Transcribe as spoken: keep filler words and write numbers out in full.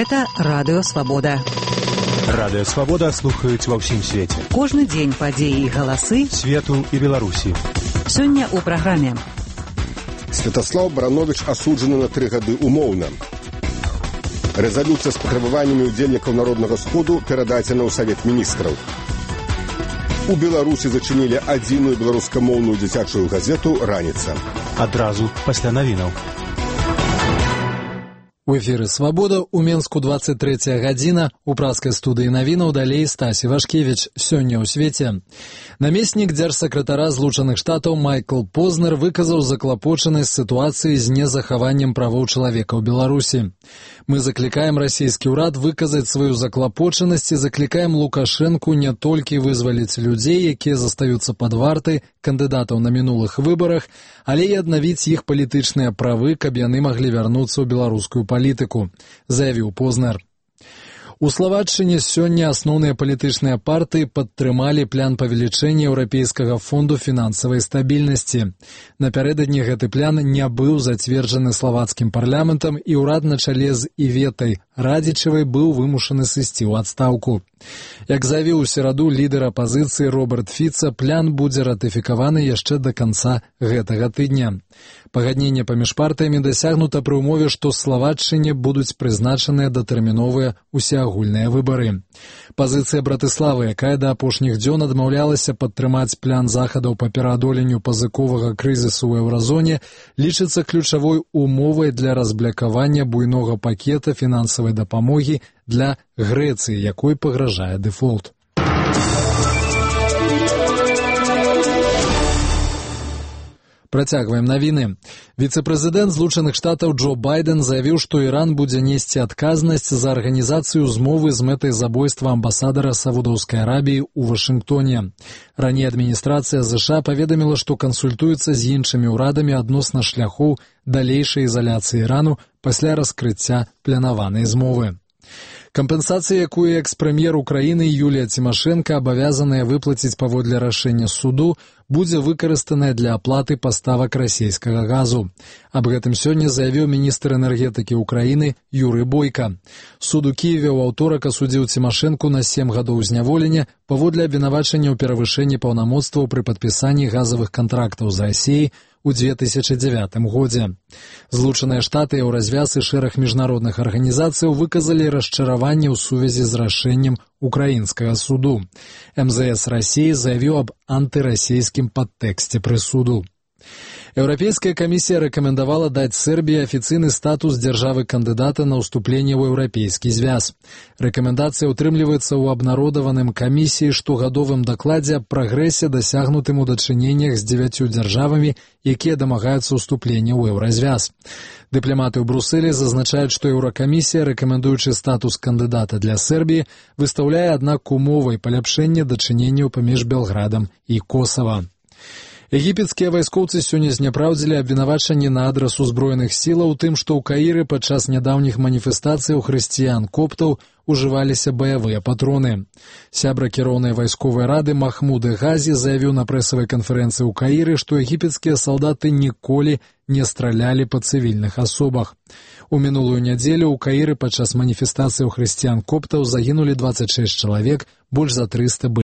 Гэта Радыё Свабода. Радыё Свабода слухаюць ва ўсім свеце. Кожны дзень падзеі і галасы свету і Беларусі. Сёння ў праграме. Святаслаў Барановіч асуджаны на тры гады умоўна. Рэзалюцыя з патрабаваннямі ўдзельнікаў Народнага сходу перададзена ў Савет міністраў. У Беларусі зачынілі адзіную беларускамоўную дзіцячую газету «Раніца». Адразу пасля навінаў. У эфіры «Свабода», у Менску двадцать третья гадзіна, у праскай студыі навінаў далей Стасі Вашкевіч. Сёння ў свеце. Намеснік дзяржсакратара Злучаных Штатаў Майкл Познер выказаў заклапочанасць сітуацыі з незахаваннем правоў чалавека ў Беларусі. Мы заклікаем расійскі ўрад выказаць сваю заклапочанасць і заклікаем Лукашэнку не толькі вызваліць людзей, якія застаюцца пад вартай, кандыдатаў на мінулых выбарах, але і аднавіць іх палітычныя правы, каб яны маглі вярнуцца ў беларускую палітыку, заявіў Познер. У Славатчыне сёння асноўныя палітычныя партыі падтрымалі план павелічэння Еўрапейскага фонду фінансавай стабільнасці. Напярэдадні гэты план не быў зацверджаны славацкім парламентам, і ўрад на чале з Іветай Радзічавай быў вымушаны сысці ў адстаўку. Як заявіў у сераду лідар апазіцыі Роберт Фіца, план будзе ратыфікаваны яшчэ да канца гэтага тыдня. Пагадненне паміж партыямі дасягнута пры ўмове, што Славатчыне будуць прызначаныя датэрміновыя усеагульныя выбары. Пазіцыя Братыславы, якая да апошніх дзён адмаўлялася падтрымаць план захадаў па пераадоленню пазыковага крызісу ў еўразоне, лічыцца ключавой умовай для разблякавання буйнога пакета фінансавай дапамогі для Грэцыі, якой пагражае дэфолт. Працягваем навіны. Віцэ-прэзідэнт Злучаных Штатаў Джо Байден заявіў, што Іран будзе несці адказнасць за арганізацыю змовы з мэтай забойства амбасадара Саудаўскай Арабіі ў Вашынгтоне. Раней адміністрацыя ЗША паведаміла, што кансультуецца з іншымі ўрадамі адносна шляхоў далейшай ізаляцыі Ірану пасля раскрыцця планаванай змовы. Кампенсацыя, якую экс-прэм'ер Украіны Юлія Цімашэнка абавязаная выплаціць паводле рашэння суду, будзе выкарыстаная для аплаты паставак расійскага газу. Аб гэтым сёння заявіў міністр энергетыкі Украіны Юрый Бойка. Суд у Кіеве ў аўторак асудзіў Цімашэнку на сем гадоў зняволення паводле абвінавачання ў перавышэнні паўнамоцтваў пры падпісанні газавых кантрактаў з Расіяй у две тысячи дзевятым годзе. Злучаныя Штаты, Еўразвяз і шэраг міжнародных арганізацыяў выказалі расчараванне ў сувязі з рашэннем украінскага суду. эм зэ эс Расіі заявіў аб антырасійскім падтэксце прысуду. Еўрапейская камісія рэкамендавала даць Сербіі афіцыйны статус дзяржавы-кандыдата на ўступленне ў еўрапейскі звяз. Рэкамендацыя ўтрымліваецца ў абнародаваным камісіі штогадовым дакладзе аб прагрэсе, дасягнутым у дачыненнях з дзевяццю дзяржавамі, якія дамагаюцца ўступлення ў еўразвяз. Дыпламаты ў Брусэлі зазначаюць, што Еўракамісія, рэкамендуючы статус кандыдата для Сербіі, выстаўляе, аднак, умовай паляпшэння дачыненняў паміж Белградам і Косава. Егіпецкія вайскоўцы сёння зняпраўдзілі абвінавачанні на адрас узброеных сілаў у тым, што ў Каіры падчас нядаўніх маніфестацыяў хрысціян-коптаў ужываліся баявыя патроны. Сябра кіроўнай вайсковай рады Махмуд Газі заявіў на прэсавай канферэнцыі ў Каіры, што егіпецкія салдаты ніколі не стралялі па цывільных асобах. У мінулую нядзелю ў Каіры падчас маніфестацыяў хрысціян-коптаў загінулі дваццаць шэсць чалавек, больш за трыста былі